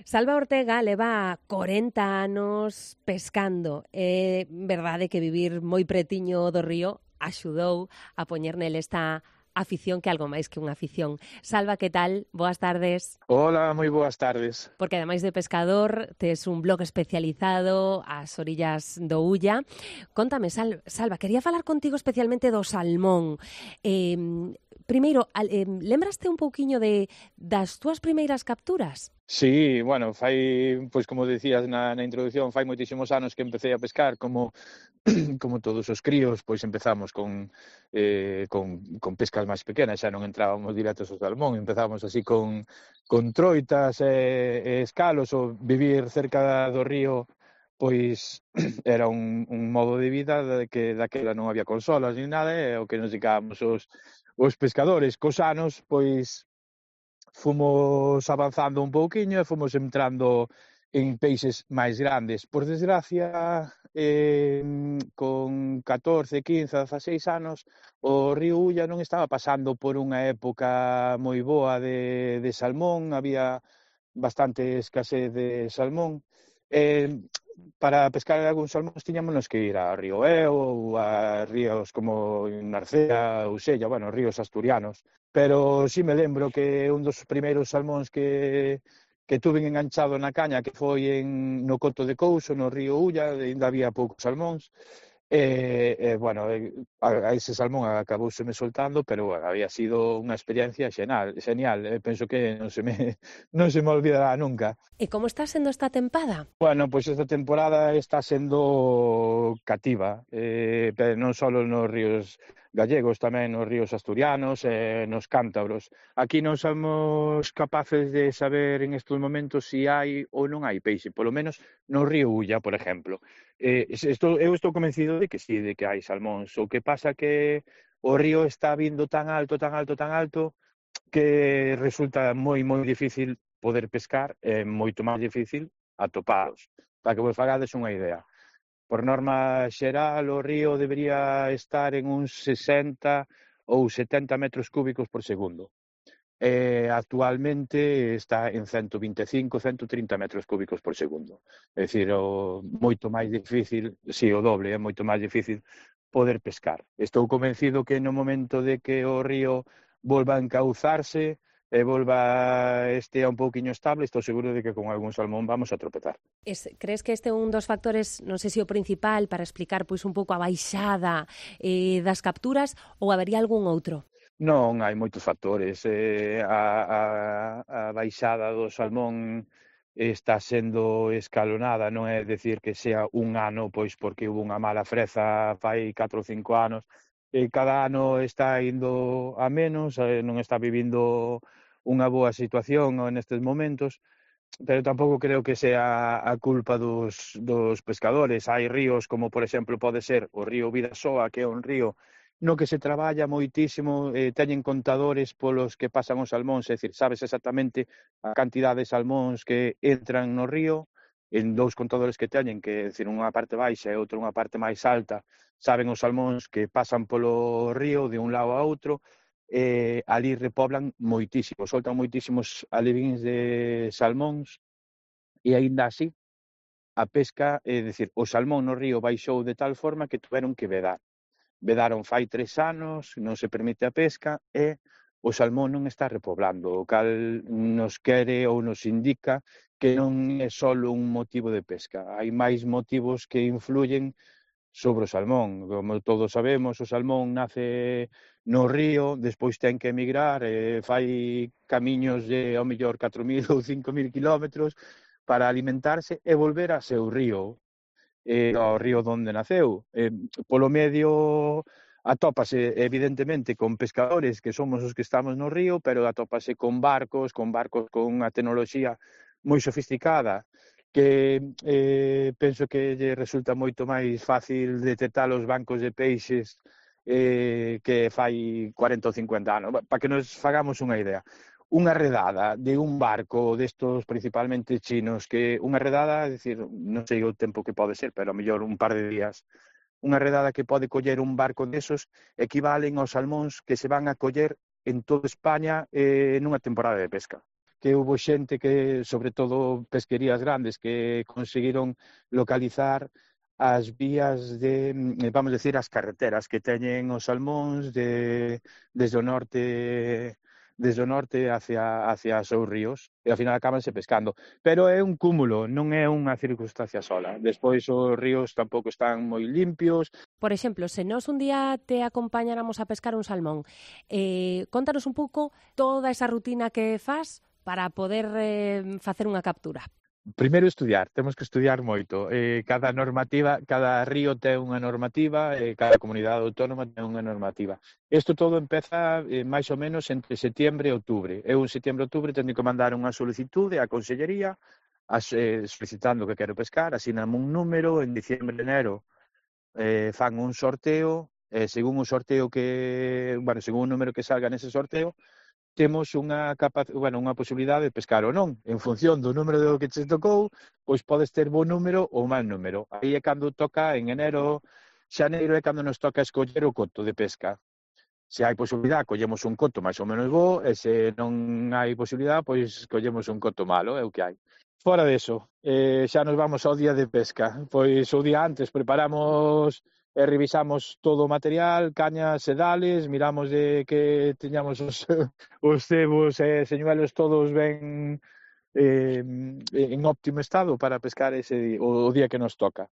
Salva Ortega leva 40 anos pescando. É verdade que vivir moi pretiño do río axudou a poñer nele esta afición que é algo máis que unha afición. Salva, que tal? Boas tardes. Hola, moi boas tardes. Porque ademais de pescador, tes un blog especializado ás orillas do Ulla. Contame, Salva, quería falar contigo especialmente do salmón. Primeiro, lembraste un pouquiño das túas primeiras capturas? Sí, bueno, pois como decías na introducción, fai moitísimos anos que empecé a pescar como todos os críos, pois empezamos con pescas máis pequenas, xa non entrábamos directos ao salmón, empezamos así con troitas e escalos, ou vivir cerca do río, pois era un modo de vida que daquela non había consolas ni nada, e o que nos dedicábamos os pescadores. Cos anos, pois fomos avanzando un pouquiño e fomos entrando en peixes máis grandes. Por desgracia, con 14, 15, 16 anos, o río Ulla non estaba pasando por unha época moi boa de salmón, había bastante escasez de salmón. Para pescar algúns salmóns tiñámonos que ir a Río Eo ou a ríos como Narcea, Usella, bueno, ríos asturianos. Pero sí me lembro que un dos primeiros salmóns que tuven enganchado na caña, que foi no Coto de Couso, no río Ulla, ainda había poucos salmóns. Bueno, a ese salmón acabouseme soltando, pero bueno, había sido unha experiencia genial. Penso que non se me olvidará nunca. E como está sendo esta tempada? Bueno, pois esta temporada está sendo cativa, pero non só nos ríos gallegos, tamén nos ríos asturianos e nos cántabros. Aquí non somos capaces de saber en estes momentos se hai ou non hai peixe, polo menos no río Ulla, por exemplo. Eu estou convencido de que sí, de que hai salmóns. O que pasa que o río está vindo tan alto, que resulta moi difícil poder pescar, é moito máis difícil atopalos. Para que vos fagades unha idea. Por norma xeral, o río debería estar en uns 60 ou 70 metros cúbicos por segundo. Actualmente está en 125, 130 metros cúbicos por segundo. É dicir, moito máis difícil, si o doble, é moito máis difícil poder pescar. Estou convencido que no momento de que o río volva a encauzarse e volva un pouquiño estable, estou seguro de que con algún salmón vamos a tropezar. Crees que este é un dos factores, non sei se o principal, para explicar pois un pouco a baixada das capturas, ou habería algún outro? Non, hai moitos factores. A baixada do salmón está sendo escalonada, non é dicir que sea un ano, pois porque hubo unha mala freza fai 4 ou 5 anos. Cada ano está indo a menos, non está vivindo unha boa situación nestes momentos, pero tampouco creo que sea a culpa dos pescadores. Hai ríos como, por exemplo, pode ser o río Vidasoa, que é un río no que se traballa moitísimo, teñen contadores polos que pasan os salmóns, é dicir, sabes exactamente a cantidade de salmóns que entran no río, en dous contadores que teñen, que é dicir, unha parte baixa e outra unha parte máis alta, saben os salmóns que pasan polo río de un lado a outro, ali repoblan moitísimo, soltan moitísimos alevíns de salmóns, e aínda así a pesca, é dicir, o salmón no río baixou de tal forma que tuveron que vedar. Vedaron fai 3 anos, non se permite a pesca e o salmón non está repoblando, o cal nos quere ou nos indica que non é só un motivo de pesca, hai máis motivos que influyen sobre o salmón. Como todos sabemos, o salmón nace no río, despois ten que emigrar, fai camiños de, ao mellor, 4.000 ou 5.000 kilómetros para alimentarse e volver a seu río, ao río donde naceu. Polo medio atópase, evidentemente, con pescadores que somos os que estamos no río, pero atópase con barcos con unha tecnoloxía moi sofisticada, que penso que lle resulta moito máis fácil detectar os bancos de peixes que fai 40 ou 50 anos. Para que nos fagamos unha idea, unha redada de un barco destos principalmente chinos, que unha redada, é dicir, non sei o tempo que pode ser, pero a mellor un par de días, unha redada que pode coller un barco desos equivalen aos salmóns que se van a coller en toda España nunha temporada de pesca. que hubo xente que, sobre todo pesquerías grandes, que conseguiron localizar as vías vamos decir, as carreteras que teñen os salmóns desde o norte hacia os seus ríos, e ao final acabanse pescando. Pero é un cúmulo, non é unha circunstancia sola. Despois os ríos tampouco están moi limpios. Por exemplo, se nós un día te acompañáramos a pescar un salmón, contanos un pouco toda esa rutina que fas para poder facer unha captura. Primeiro estudiar, temos que estudiar moito. Cada normativa, cada río ten unha normativa, cada comunidade autónoma ten unha normativa. Isto todo empeza máis ou menos entre setembro e outubro. Eu en setembro e outubro teño que mandar unha solicitude á Consellería solicitando que quero pescar, asiname un número, en diciembre e enero fan un sorteo, según o sorteo según o número que salga nese sorteo, temos unha posibilidade de pescar ou non. En función do número do que te tocou, pois podes ter bo número ou mal número. Aí é cando toca, en enero, xaneiro é cando nos toca escoller o coto de pesca. Se hai posibilidade, collemos un coto máis ou menos bo, e se non hai posibilidade, pois collemos un coto malo, é o que hai. Fora deso, xa nos vamos ao día de pesca. Pois o día antes preparamos e revisamos todo o material, cañas e dales, miramos de que teñamos os cebos e señuelos todos ben en óptimo estado para pescar o día que nos toca.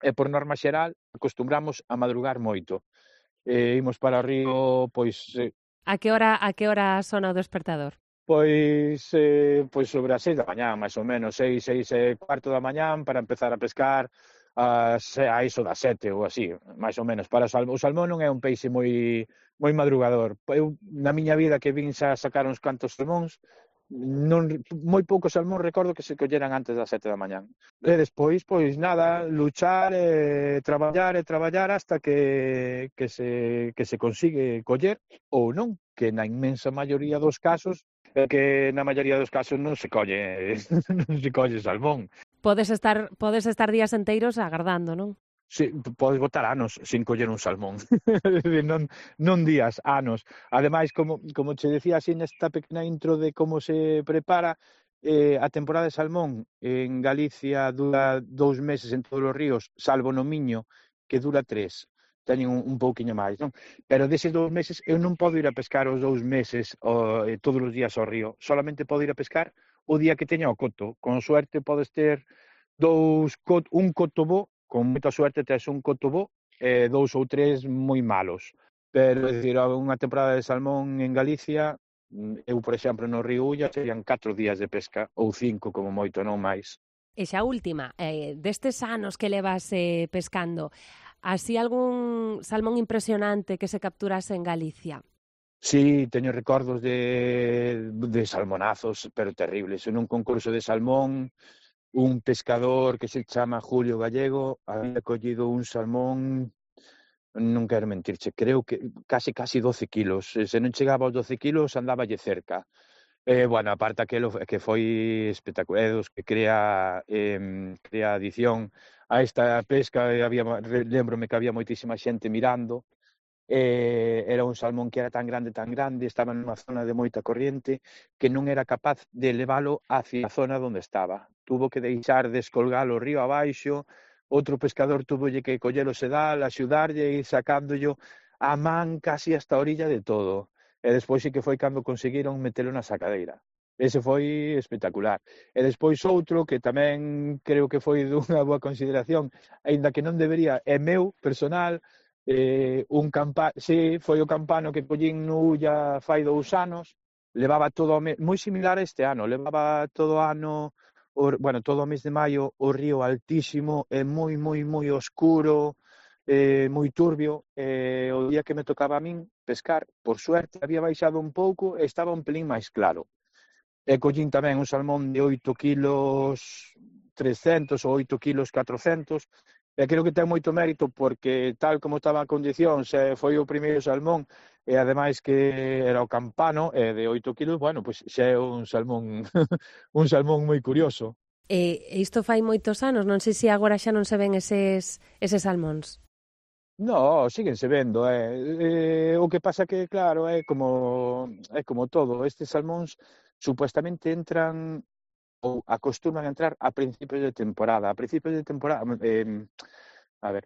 E por norma xeral, acostumbramos a madrugar moito. Imos para o río, pois... A que hora sona o despertador? Pois sobre as 6 da mañán, máis ou menos, 6:15 da mañán, para empezar a pescar a iso das 7 ou así, máis ou menos. Para o salmón non é un peixe moi madrugador. Eu, na miña vida que vin xa sacar uns cantos salmóns, moi poucos salmóns recordo que se colleran antes das 7 da mañán. E despois, pois nada, luchar e traballar hasta que se consigue coller ou non, que na inmensa maioría dos casos é que na maioría dos casos non se colle salmón. Podes estar días enteiros agardando, non? Sí, podes botar anos sin coller un salmón. non días, anos. Ademais, como che decía así nesta pequena intro de como se prepara, a temporada de salmón en Galicia dura 2 meses en todos os ríos, salvo no Miño, que dura 3. Teñen un pouquiño máis, non? Pero deses 2 meses eu non podo ir a pescar os 2 meses todos os días ao río. Solamente podo ir a pescar o día que teña o coto. Con suerte podes ter un coto bo, con moita suerte tes un coto bo, e 2 ou 3 moi malos. Pero, é dicir, unha temporada de salmón en Galicia, eu, por exemplo, no río Ulla, serían 4 días de pesca, ou 5 como moito, non máis. E xa última, destes anos que levas pescando, así algún salmón impresionante que se capturase en Galicia? Sí, teño recordos de salmonazos, pero terribles. En un concurso de salmón, un pescador que se chama Julio Gallego había collido un salmón, non quero mentirche, creo que casi 12 kilos. Se non chegaba aos 12 kilos, andáballe cerca. Aparte aquelo que foi espectacular, que crea adición a esta pesca, lembrome que había moitísima xente mirando. Era un salmón que era tan grande, estaba nunha zona de moita corriente, que non era capaz de leválo hacia a zona onde estaba. Tuvo que deixar descolgalo río abaixo, outro pescador tuvolle que collelo sedal, axudarlle e ir sacándollo a man casi hasta a orilla de todo. E despois sí que foi cando conseguiron metelo na sacadeira. Ese foi espectacular. E despois outro que tamén creo que foi dunha boa consideración, aínda que non debería, é meu, personal, foi o campano que collín no Ulla fai 2 anos, levaba todo moi similar a este ano, levaba todo o ano, todo o mes de maio, o río altísimo e moi oscuro, moi turbio. O día que me tocaba a min pescar, por suerte, había baixado un pouco e estaba un pelín máis claro. E collín tamén un salmón de 8 kilos 300 ou 8 kilos 400, e creo que ten moito mérito porque tal como estaba a condición, foi o primeiro salmón e ademais que era o campano de 8 kilos, pois xa é un salmón un salmón moi curioso. Isto fai moitos anos, non sei se agora xa non se ven eses salmóns. No, síguense vendo, o que pasa que, claro, é como todo, estes salmóns supuestamente entran ou acostuman a entrar a principios de temporada. A principios de temporada, a ver,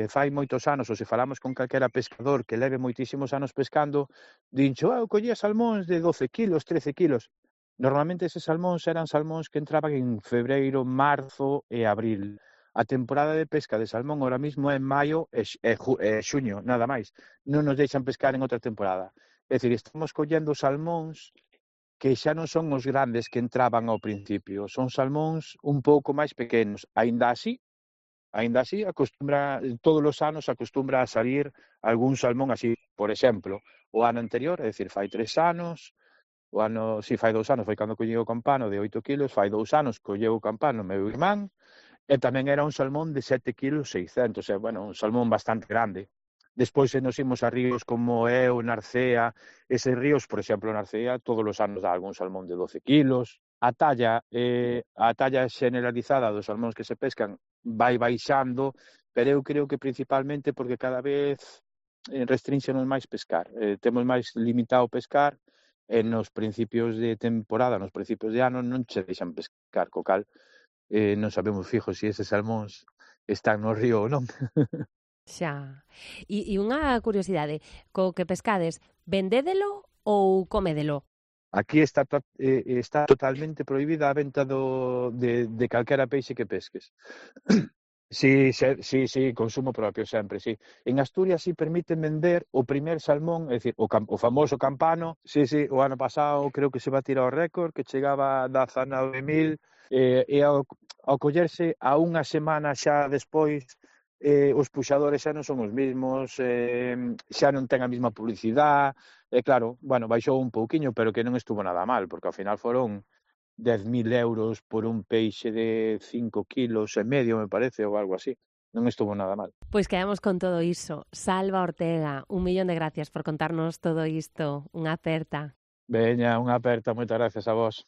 fai moitos anos, ou se falamos con calquera pescador que leve moitísimos anos pescando, dincho, eu collía salmóns de 12 kilos, 13 kilos. Normalmente eses salmóns eran salmóns que entraban en febreiro, marzo e abril. A temporada de pesca de salmón ahora mismo é en maio e xuño, nada máis. Non nos deixan pescar en outra temporada. É dicir, estamos collendo salmóns que xa non son os grandes que entraban ao principio, son salmóns un pouco máis pequenos. Aínda así, todos os anos acostumbra a salir algún salmón así. Por exemplo, o ano anterior, é dicir, fai 3 anos, fai 2 anos, foi cando collei o campano de 8 kilos, fai 2 anos colleu o campano meu irmán, e tamén era un salmón de 7 kilos 600, bueno, un salmón bastante grande. Despois, se nos imos a ríos como é o Narcea, eses ríos, por exemplo, Narcea, todos os anos dá algún salmón de 12 kilos. A talla generalizada dos salmóns que se pescan vai baixando, pero eu creo que principalmente porque cada vez restrínxenos máis pescar. Temos máis limitado pescar, e nos principios de temporada, nos principios de ano, non che deixan pescar, co cal non sabemos fijo se eses salmóns están no río ou non. Xa. E unha curiosidade, co que pescades, vendédelo ou comédelo? Aquí está totalmente prohibida a venta de calquera peixe que pesques. Sí, consumo propio sempre, sí. En Asturias sí permiten vender o primer salmón, é dicir, o famoso campano. Sí, o ano pasado creo que se va a tirar o récord, que chegaba a 19.000, e ao collerse a unha semana xa despois, os puxadores xa non son os mesmos, xa non ten a mesma publicidade, e claro, bueno, baixou un pouquiño, pero que non estuvo nada mal, porque ao final foron 10.000 euros por un peixe de 5 kilos e medio, me parece, ou algo así. Non estuvo nada mal. Pois quedamos con todo iso. Salva Ortega, 1.000.000 de gracias por contarnos todo isto. Unha aperta. Veña, unha aperta, moitas gracias a vos.